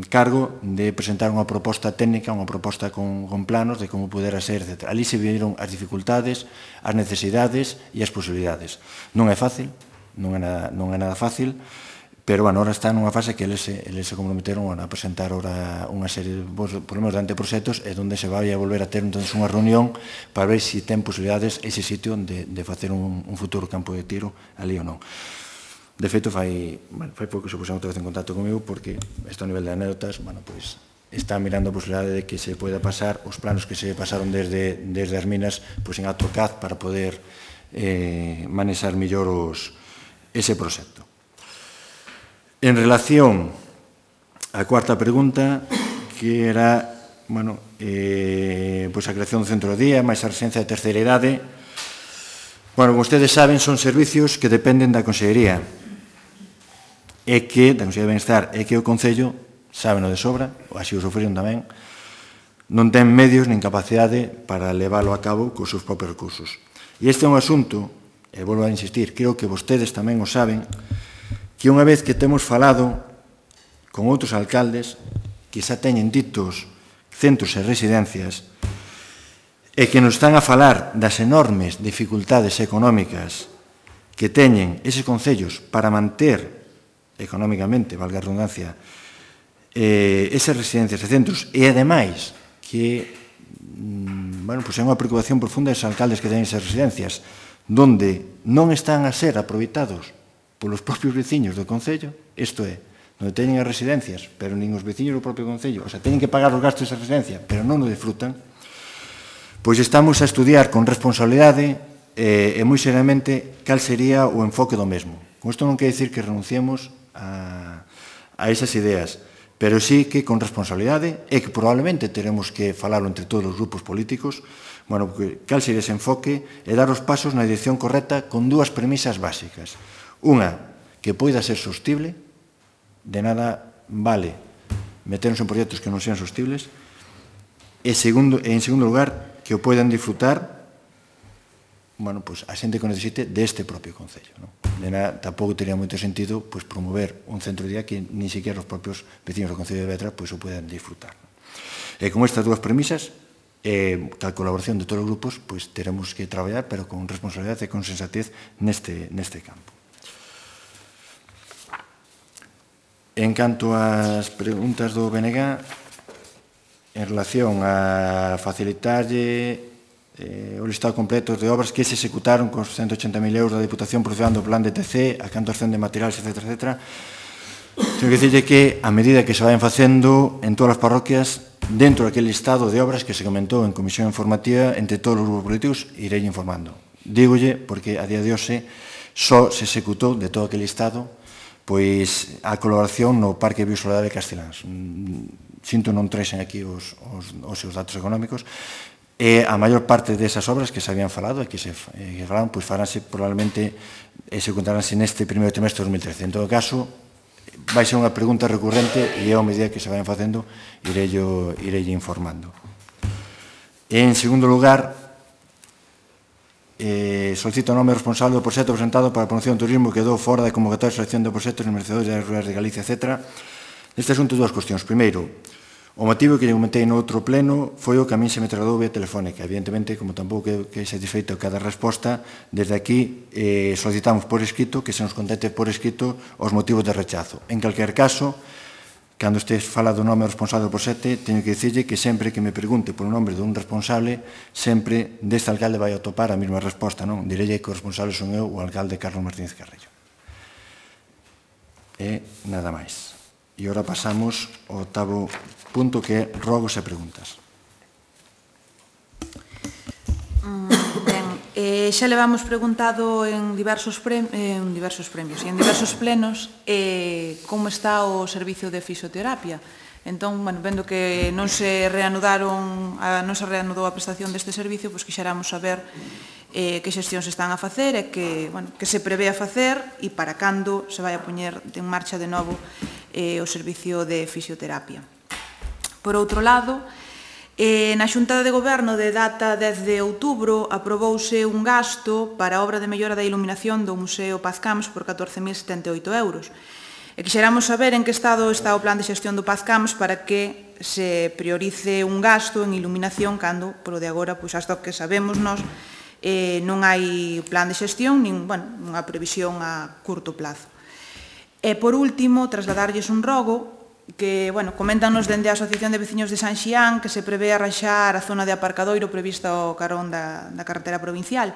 cargo de presentar unha proposta técnica, unha proposta con, con planos de como pudera ser, etcétera. Ali se viron as dificultades, as necesidades e as posibilidades. Non é fácil, non é nada, non é nada fácil, pero, bueno, ahora está nunha fase que eles se, eles se comprometeron a presentar ahora unha serie, por lo menos, de anteproxectos, e onde se vai a volver a ter entonces unha reunión para ver se ten posibilidades ese sitio de, de facer un, un futuro campo de tiro ali ou non. De feito, fai, bueno, fai pouco se puseron outra vez en contacto comigo porque este a nivel de anécdotas, bueno, pois, está mirando a posibilidade de que se poida pasar os planos que se pasaron desde, desde as minas pois, en AutoCAD para poder eh, manexar mellor os, ese proxecto. En relación á cuarta pregunta, que era, bueno, eh, pois a creación do centro de día, máis a residencia de terceira idade. Bueno, como ustedes saben, son servicios que dependen da Consellería e que, da Consellería de Benestar, e que o Concello, sábeno de sobra, ou así o sofriron tamén, non ten medios nin capacidade para leválo a cabo cos seus propios recursos. E este é un asunto, e volvo a insistir, creo que vostedes tamén o saben, que unha vez que temos falado con outros alcaldes que xa teñen ditos centros e residencias e que nos están a falar das enormes dificultades económicas que teñen eses concellos para manter económicamente, valga a redundancia, eh, esas residencias e centros, e ademais que bueno, pues é unha preocupación profunda dos alcaldes que teñen esas residencias, donde non están a ser aproveitados polos propios veciños do concello, isto é, onde teñen as residencias, pero nin os veciños do propio concello, o sea, teñen que pagar os gastos desa residencia, pero non o disfrutan, pois estamos a estudiar con responsabilidade eh, e moi seriamente cal sería o enfoque do mesmo. Con isto non quer dicir que renunciemos a, a esas ideas, pero sí que con responsabilidade e que probablemente teremos que falarlo entre todos os grupos políticos, bueno, porque cal sería ese enfoque e dar os pasos na dirección correcta con dúas premisas básicas. Unha, que poida ser sostible, de nada vale meternos en proxectos que non sean sostibles, e, segundo, e en segundo lugar, que o poidan disfrutar bueno, pues, a xente que necesite deste propio Concello. Non? De nada, tampouco teria moito sentido pues, promover un centro de día que ni siquiera os propios vecinos do Concello de Vedra pues, o poden disfrutar. Non? E con estas dúas premisas, eh, a colaboración de todos os grupos, pues, teremos que traballar, pero con responsabilidade e con sensatez neste, neste campo. En canto ás preguntas do B N G, en relación a facilitarlle eh, o listado completo de obras que se executaron con os ciento ochenta mil euros da Diputación procedendo do plan de T C, a canto ascende de materiales, etcétera, etcétera. Tengo que dicirle que, a medida que se vayan facendo en todas as parroquias, dentro daquele listado de obras que se comentou en comisión informativa entre todos os grupos políticos, irei informando. Dígolle, porque a día de hoxe só se executou de todo aquele listado pois a colaboración no Parque Biosolar de Casteláns. Sinto non traen aquí os, os, os seus datos económicos, e a maior parte desas obras que se habían falado e que se eh, falaron, pois faránse probablemente executaránse neste primeiro trimestre de dos mil trece. En todo caso, vai ser unha pregunta recurrente e a medida que se vayan facendo irei informando. En segundo lugar, eh, solicito o nome responsable do proxecto presentado para a promoción do turismo que quedou fora da convocatoria de selección de proxectos e merecedores das rurais de Galicia, etcétera. Neste asunto, dúas cuestións. Primeiro, o motivo que lle comentei no outro pleno foi o que a min se me trasladou vía telefónica. Evidentemente, como tampouco que é satisfeito cada resposta, desde aquí eh, solicitamos por escrito que se nos conteste por escrito os motivos de rechazo. En calquer caso, cando este fala do nome responsable do proxecto, teño que dicirlle que sempre que me pregunte polo nome dun responsable, sempre deste alcalde vai a topar a mesma resposta, non? Direlle que o responsable son eu, o alcalde Carlos Martínez Carrillo. E nada máis. E ora pasamos ao octavo punto, que é rogos e preguntas. Ben, eh, xa levamos preguntado en diversos, pre, eh, en diversos premios e en diversos plenos eh, como está o servicio de fisioterapia. Entón, bueno, vendo que non se reanudaron, a, non se reanudou a prestación deste servicio, pois quixéramos saber eh, que xestións están a facer e que, bueno, que se prevé a facer e para cando se vai a poñer en marcha de novo eh, o servicio de fisioterapia. Por outro lado, eh, na Xunta de Goberno de data dez de outubro aprobouse un gasto para a obra de mellora da iluminación do Museo Paz Camps por catorce mil setenta e oito euros. E quixéramos saber en que estado está o plan de xestión do Paz Camps para que se priorice un gasto en iluminación cando, polo de agora, pois hasta o que sabemos nós, eh, non hai plan de xestión, nin, bueno, unha previsión a curto plazo. E, por último, trasladarlles un rogo que, bueno, coméntanos dende a Asociación de Veciños de San Xián que se prevé arranxar a zona de aparcadoiro prevista ao carón da, da carretera provincial.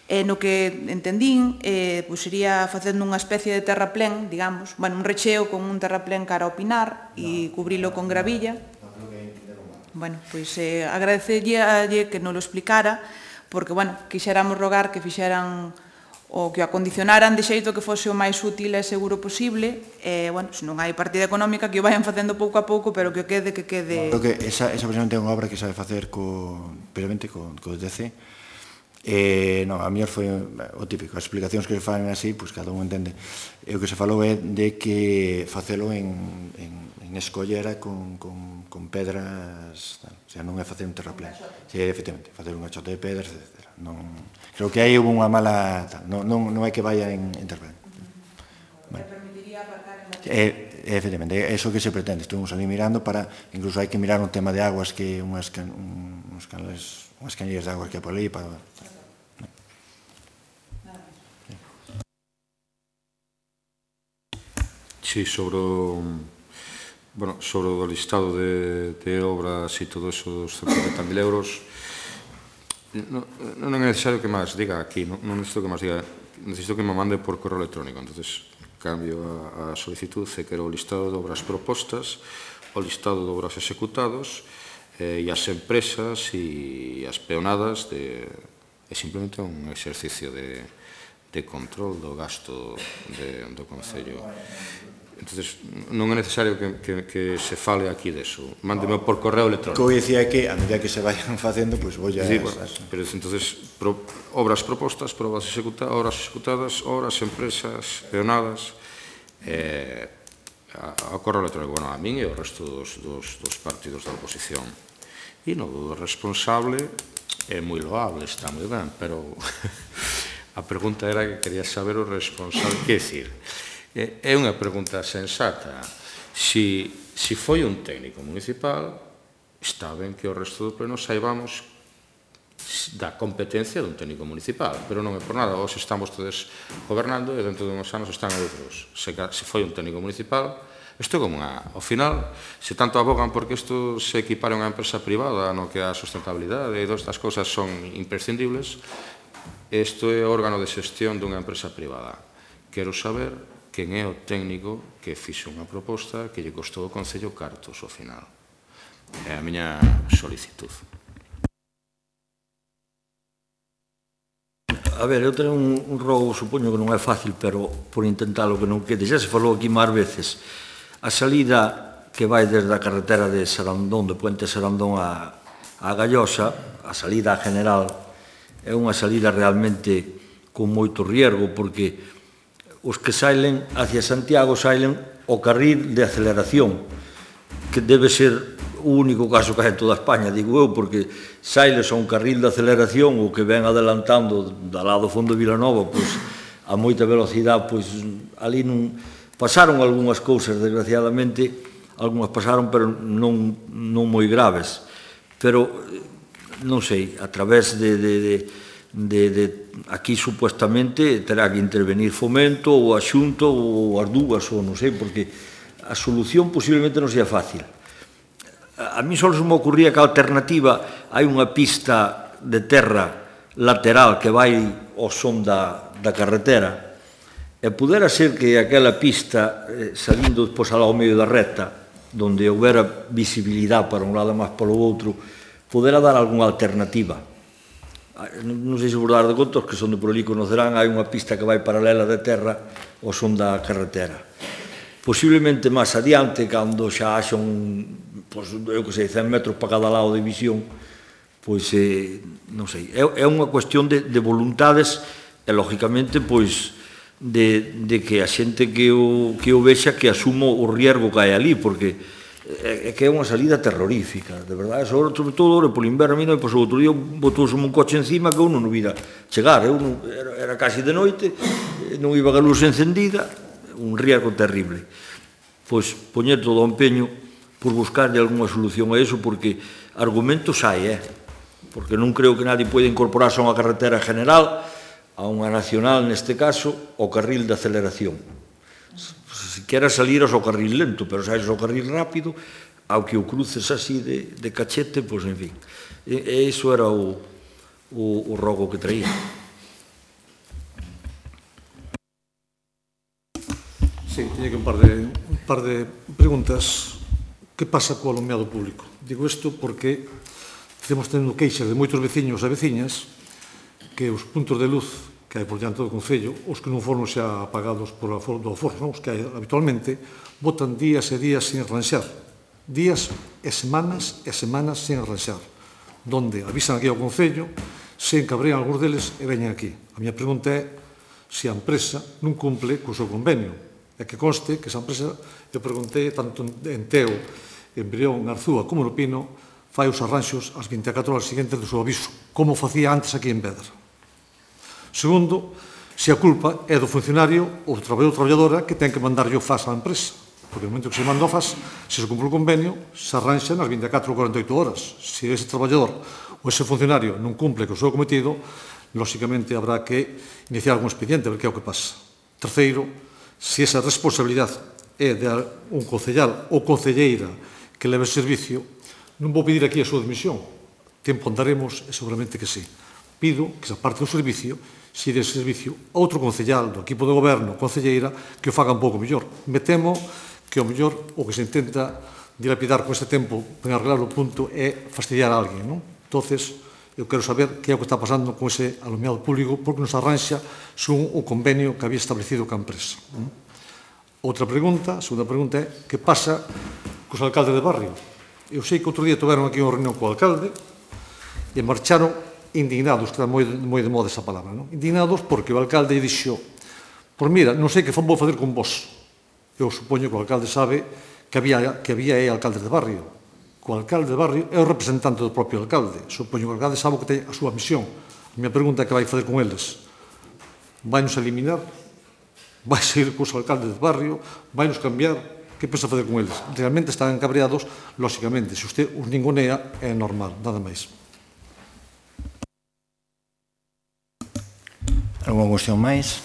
E no que entendín, eh, pois sería facendo unha especie de terraplén, digamos, bueno, un recheo con un terraplén cara ao Pinar e cubrilo con gravilla. Bueno, pois eh, agradecería que nos lo explicara, porque, bueno, quixéramos rogar que fixeran o que o acondicionaran de xeito que fose o máis útil e seguro posible, e, bueno, se non hai partida económica, que o vayan facendo pouco a pouco, pero que o quede, que quede... Creo que esa, esa precisamente é unha obra que sabe facer co, previamente co, co D C. Eh, non, a mellor foi o típico, as explicacións que se fan así, pois cada un entende. E o que se falou é de que facelo en, en, en escollera con, con, con pedras, tal. O sea, non é facer un terraplén. Sí, efectivamente, facer un achote de pedras, etcétera. Non, creo que aí hubo unha mala... Tal. Non, non, non é que vaya en, en terraplén. Bueno. permitiría aparcar en... Eh, efectivamente, é iso que se pretende. Estuvimos ali mirando para, incluso hai que mirar un tema de aguas que unhas, can, un, uns canales, unhas canillas de aguas que hai por ali para... Sí, sobre o, bueno, sobre o listado de, de obras e todo eso dos cincuenta mil euros, non, non é necesario que máis diga aquí, non, non necesito que máis diga, necesito que me mande por correo electrónico, entonces cambio a, a solicitud e quero o listado de obras propostas, o listado de obras executados eh, e as empresas e as peonadas de, é simplemente un exercicio de, de control do gasto de, do Concello. Entonces, non é necesario que, que, que se fale aquí deso. Mándeme por correo electrónico. O que dicía que, a medida que se vayan facendo, pois pues, vou a... Sí, bueno, pero entonces, pro, obras propostas, probas executadas, obras executadas, obras, empresas, peonadas, eh, ao correo electrónico, bueno, a min e o resto dos, dos, dos partidos da oposición. E no do responsable é moi loable, está moi ben, pero a pregunta era que quería saber o responsable. Que decir, é unha pregunta sensata. Si, si foi un técnico municipal, está ben que o resto do pleno saibamos da competencia dun técnico municipal, pero non é por nada. Hoxe estamos todos gobernando e dentro de uns anos están outros. Se, se foi un técnico municipal, isto é como unha... Ao final, se tanto abogan porque isto se equipara a unha empresa privada no que a sustentabilidade e todas estas cosas son imprescindibles, isto é o órgano de xestión dunha empresa privada. Quero saber quen é o técnico que fixo unha proposta que lle costou o Concello cartos ao final. É a miña solicitud. A ver, eu teño un, un rogo, supoño que non é fácil, pero por intentalo que non quede. Já se falou aquí máis veces. A salida que vai desde a carretera de Sarandón, de Puente Sarandón a, a Gallosa, a salida general, é unha salida realmente con moito riesgo, porque os que sailen hacia Santiago sailen o carril de aceleración, que debe ser o único caso que hai en toda España, digo eu, porque sailes a un carril de aceleración o que ven adelantando da lado fondo de Vilanova, pois, a moita velocidade, pois, ali non pasaron algunhas cousas, desgraciadamente, algunhas pasaron, pero non, non moi graves. Pero, non sei, a través de... de, de De, de, aquí supuestamente terá que intervenir Fomento ou a Xunta ou as dúas, ou non sei, porque a solución posiblemente non sea fácil. A, a mí só se me ocurría que a alternativa hai unha pista de terra lateral que vai ao son da, da carretera e pudera ser que aquela pista eh, salindo despois ao medio da recta, donde houbera visibilidade para un lado e máis polo outro, pudera dar algunha alternativa. Non sei se vos dar de conta, os que son de por ali conocerán, hai unha pista que vai paralela de terra ao son da carretera. Posiblemente máis adiante, cando xa haxa un, pois, eu que sei, cen metros para cada lado de visión, pois, eh, non sei, é, é unha cuestión de, de voluntades e, lógicamente, pois, de, de que a xente que o, que o vexa que asumo o riesgo que hai ali, porque é que é unha salida terrorífica, de verdade, sobre todo polo inverno, mira, pois o outro día botouse un coche encima que eu non o vira chegar, eu non, era, era casi de noite, non iba a luz encendida, un riesgo terrible. Pois poñer todo o empeño por buscarlle algunha solución a eso, porque argumentos hai, eh? Porque non creo que nadie poida incorporarse a unha carretera general, a unha nacional neste caso, o carril de aceleración. Se queras salir ao carril lento, pero saís ao carril rápido, ao que o cruces así de, de cachete, pois, en fin. E, e iso era o, o, o rogo que traía. Sí, teño que un par de, un par de preguntas. Que pasa co alumeado público? Digo isto porque estamos tendo queixas de moitos veciños e veciñas que os puntos de luz que hai por diante do Concello, os que non foron xa apagados por a do aforro, non? Os que hai habitualmente, botan días e días sin arranxar. Días e semanas e semanas sin arranxar. Donde avisan aquí ao Concello, se encabrean algúns deles e veñen aquí. A miña pregunta é se a empresa non cumple co seu convenio. E que conste que esa empresa, eu preguntei tanto en Teo, en Brión, en Arzúa como no Pino, fai os arranxos as vinte e catro horas seguintes do seu aviso, como facía antes aquí en Vedra. Segundo, se a culpa é do funcionario ou do traballador ou traballadora que ten que mandar o F A S á empresa. Porque no momento que se manda o F A S, se se cumple o convenio, se arranxa nas vinte e catro ou cuarenta e oito horas. Se ese traballador ou ese funcionario non cumple co seu cometido, lóxicamente habrá que iniciar algún expediente a ver que é o que pasa. Terceiro, se esa responsabilidade é de un concellal ou concelleira que leve servicio, non vou pedir aquí a súa admisión. Tempo andaremos e seguramente que sí. Pido que esa parte do servicio se dê servicio a outro concellal do equipo de goberno, concelleira, que o faga un pouco mellor. Me temo que o mellor o que se intenta dilapidar con este tempo en arreglar o punto é fastidiar a alguén, non? Entonces, eu quero saber que é o que está pasando con ese alumeado público porque nos arranxa según o convenio que había establecido ca empresa. Outra pregunta, a segunda pregunta é que pasa cos alcaldes de barrio? Eu sei que outro día tiveron aquí unha reunión co alcalde e marcharon indignados, que está moi, moi de moda esa palabra, non? Indignados porque o alcalde dixo, pois mira, non sei que vou facer con vos. Eu supoño que o alcalde sabe que había, que había aí alcaldes de barrio. O alcalde de barrio é o representante do propio alcalde. Supoño que o alcalde sabe que ten a súa misión. A minha pregunta é que vai facer con eles. Vai-nos eliminar? Vai seguir cos alcaldes de barrio? Vai-nos cambiar? Que pensa facer con eles? Realmente están encabreados, lóxicamente. Se usted os ningunea, é normal, nada máis. Alguna cuestión máis?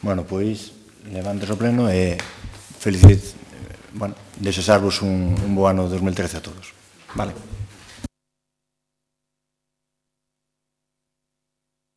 Bueno, pois, levantes o pleno e felicit, bueno, desexarvos un, un bo ano dos mil trece a todos. Vale.